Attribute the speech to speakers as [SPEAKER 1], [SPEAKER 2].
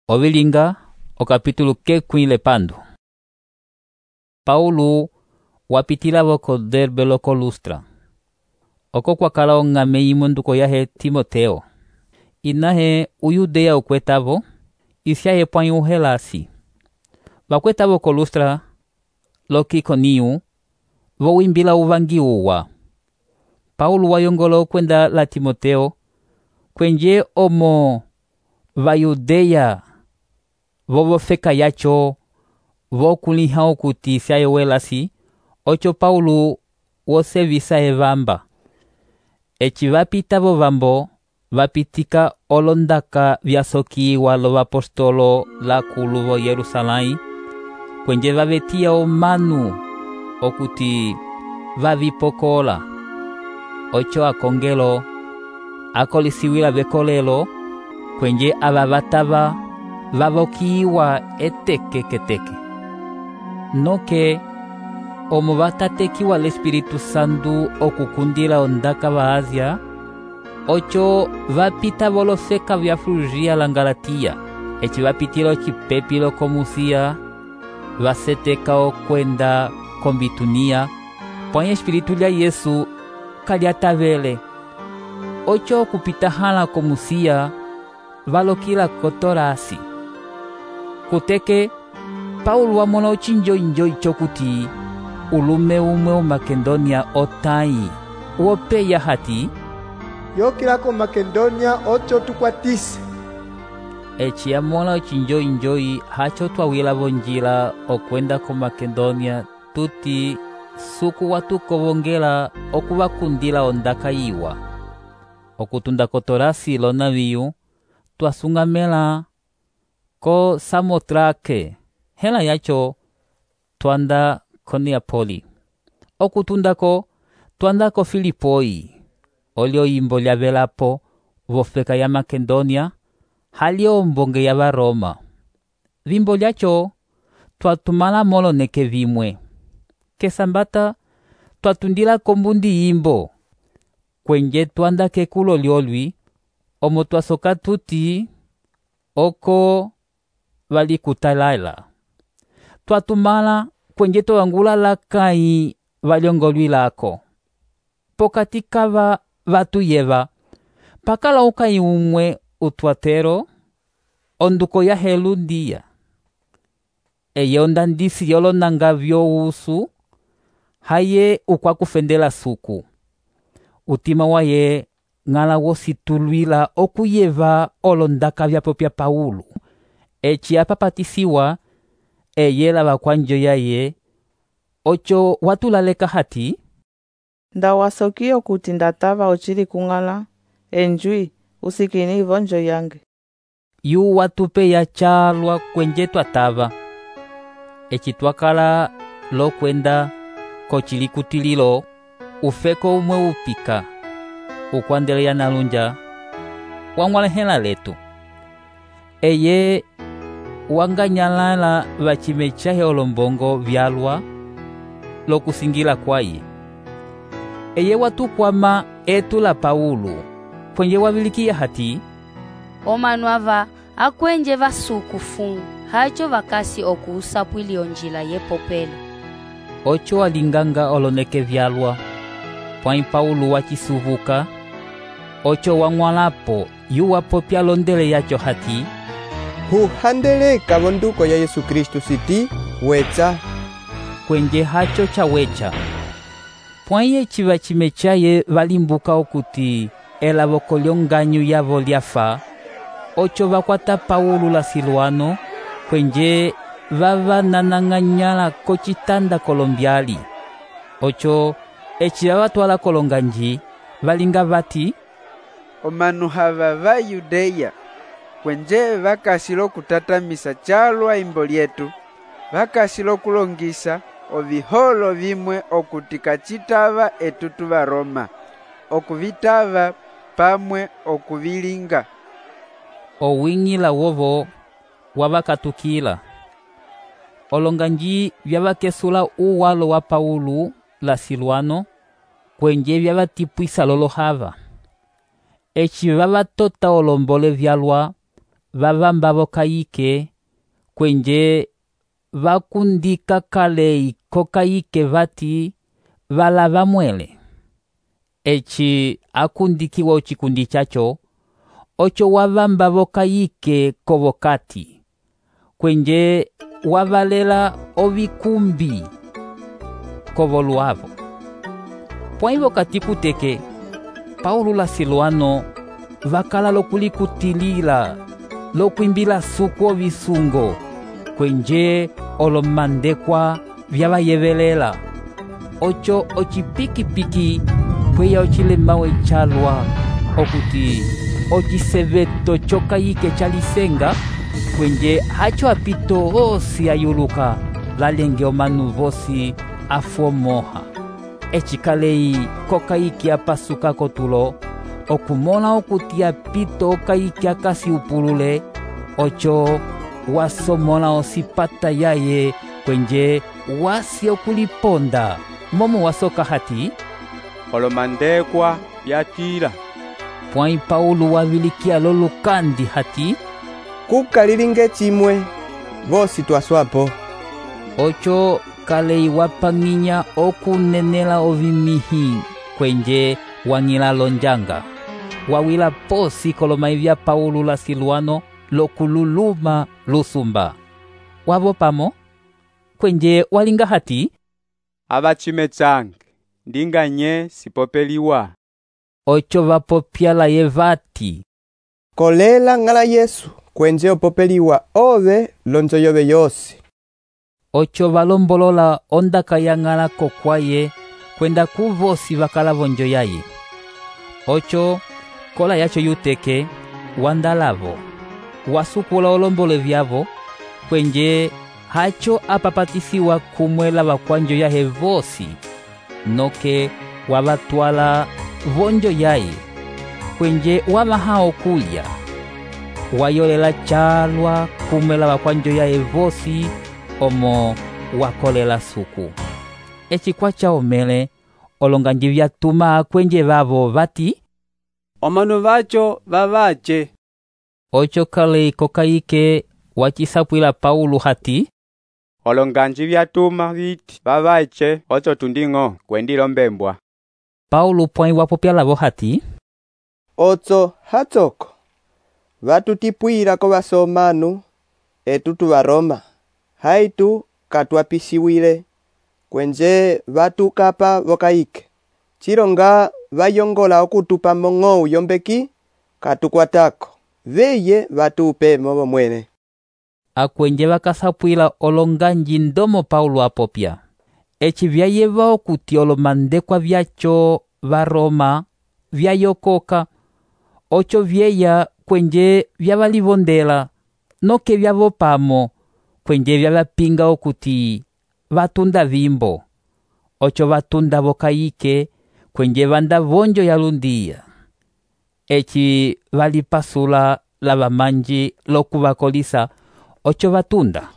[SPEAKER 1] Ovilinga okapítulo kekwile pandu. Paulo wapitila voko Derbe loko Lustra. Oko kwakala ong'ame imwe nduko yahe Timoteo. Inahe uyudeya ukwetavo, isyahe pwãyi uhelasi. Vakwetavo ko Lustra loki Ikoniu, vowimbila uvangi uwa. Paulo wayongola okwenda la Timoteo, kwenje omo vayudeya vovofeka yacho vokuliha okuti isyahe welasi, ocho Paulo wosevisa evamba. Eci vapitavo vambo vapitika olondaka vyasokiwa lovapostolo lakulu vo Yerusalãyi, kwenje vavetiya omanu okuti vavipokola. Ocho akongelo akolisiwila vekolelo, kwenje ava vatava vavokiwa eteke. Noke omo vatatekiwa l'Espiritu Santu okukundila ondaka va Asia, ocho vapita volofeka vya Frugia la Galatia, eci vapitila ocipepi loko Musia, vaseteka okwenda ko Bitunia, pwãyi Espiritu lya Yesu kalyatavele. Ocho okupita hala ko Musia, valokila ko Torasi. Kuteke Paulo wamona ocinjoinjoi chokuti ulume umwe Makedonia otai wopeya hati
[SPEAKER 2] yokila ko Makedonia ocho tukwatise.
[SPEAKER 1] Eci yamona ocinjoinjoi hacho twawila vonjila okwenda ko Makedonia tuti suku watukovongela okuvakundila ondaka yiwa. Okutunda ko Torasi lonaviyu twasung'amela ko Samotrake, hela yacho twanda ko Neapoli. Okutundako twanda ko Filipoi, olyo yimbo lyavelapo vofeka ya Makedonia, halyo ombonge ya Varoma. Vimbo lyacho twatumala moloneke vimwe. Kesambata twatundila kombundi yimbo, kwenje twanda kekulo lyolwi, omo twasoka tuti oko valikutalala. Twatumala kwenje towangula lakai valyongolwi lako. Pokati kava vatuyeva, pakala ukai umwe utwatero, onduko ya Helundia. Eye ondandisi yolonanga vyousu, haye ukwakufendela suku. Utima waye ng'ala wositulwila okuyeva olondaka vyapopya Paulo. Eci apapatisiwa eye lava kwanjo yaye, ocho watulaleka hati
[SPEAKER 3] ndawasokiyo kuti ndatava ocili kung'ala enjwi usikini ivonjo yange.
[SPEAKER 1] Yu watupe ya chalwa kwenje twatava. Eci twakala lokwenda kochilikutililo, ufeko umwe upika ukwandeleya nalunja wang'walehela letu. Eye wanganyalala vacime chahe olombongo vyalwa lokusingila kwaye. Eye watukwama etu la Paulo, kwenye wavilikiya hati
[SPEAKER 4] omanu ava akwenje vasuku fungu hacho vakasi okuusapwili onjila yepopele.
[SPEAKER 1] Ocho walinganga oloneke vyalwa, pwãyi Paulo wacisuvuka. Ocho wang'walapo yu wapopya londele yacho hati
[SPEAKER 2] huhandeleka vonduko ya Yesu Kristu siti wecha.
[SPEAKER 1] Kwenje hacho chawecha. Pwãyi eci vacime chaye valimbuka okuti elavoko lyonganyu yavo lyafa, ocho vakwata Paulo la Silwano, kwenje vavananang'anyala kocitanda kolombyali. Ocho eci vavatwala kolonganji, valinga vati
[SPEAKER 5] omanu hava va Yudeya, kwenje vakasilo kutatamisa chalwa imbo lyetu, vakasilo kulongisa oviholo vimwe okuti kacitava etutu va Roma, okuvitava pamwe okuvilinga.
[SPEAKER 1] Owing'ila wovo wavakatukila. Olonganji vyavakesula uwalo wa Paulo la Silwano, kwenje vyavatipwisa lolohava. Eci vavatota olombole vyalwa, vavamba vokayike kwenje vakundika kalei kokayike vati valava mwele. Eci akundikiwa ocikundi chacho, ocho wavamba vokayike kovokati, kwenje wavalela ovikumbi kovoluavo. Pwaivo kati kuteke, Paulo la Silwano vakala lokulikutilila, lokwimbila suku ovisungo, kwenje olomandekwa vyavayevelela. Ocho ocipikipiki kweya ocilemawe calwa okuti ociseveto chokayike chalisenga, kwenje hacho apito osi ayuluka lalenge omanu vosi afuomoha. Ecikalei kokayike apasuka kotulo, okumona okuti apito okayike akasi upulule, ocho wasomona osipata yaye kwenje wasi okuliponda. Momo wasoka hati
[SPEAKER 6] olomandekwa yatila.
[SPEAKER 1] Pwai Paulo wavilikia lolukandi hati
[SPEAKER 2] kukalilinge chimwe vosi twaswapo.
[SPEAKER 1] Ocho kalei wapanginya okunenela ovimihi kwenje wangila lonjanga. Wawila posi kolomai vya Paulo la Silwano lokululuma lusumba. Wavo pamo kwenje walinga hati
[SPEAKER 6] Abachime change ndinganye sipopeliwa.
[SPEAKER 1] Ocho vapopyala yevati
[SPEAKER 2] Kolela ngala Yesu kwenje opopeliwa ove lonzo yove yosi.
[SPEAKER 1] Ocho valombolola ondaka yangala kokwaye kwenda kuvosi vakala vonjo yaye. Ocho kola yacho yuteke wandalavo wasukula olombole vyavo kwenje hacho apapatisiwa kumwela vakwanjo yahe vosi, noke wavatwala vonjo yaye kwenje wamahao kulya. Wayolela chalwa kumwela vakwanjo yahe vosi omo wakolela suku. Eci kwacha omele olonganji vyatuma kwenje vavo vati
[SPEAKER 6] Omanu vacho vavache.
[SPEAKER 1] Ocho kalei kokayike wacisapwila Paulo hati
[SPEAKER 6] Olonganji vyatuma viti vavache ocho tundingo kwendilo mbembwa.
[SPEAKER 1] Paulo pwai wapopyalavo hati
[SPEAKER 2] Otso hatsoko vatutipwira ko vasomanu etu tuvaroma, haitu katwapisiwile kwenje vatukapa vokayike. Chilonga vayongola okutupa mong'ou yombeki katukwatako, veye vatupe movo mwene.
[SPEAKER 1] Akwenje vakasapwila olonganji ndomo Paulo apopya. Eci vyayeva okuti olomandekwa vyacho varoma vyayokoka. Ocho vyeya kwenje vyavalivondela, noke vyavopamo kwenje vyavapinga okuti vatunda vimbo. Ocho vatunda vokayike kwenje vanda vonjo yalundia. Eci valipasula lava manji lokuvakolisa ocho vatunda.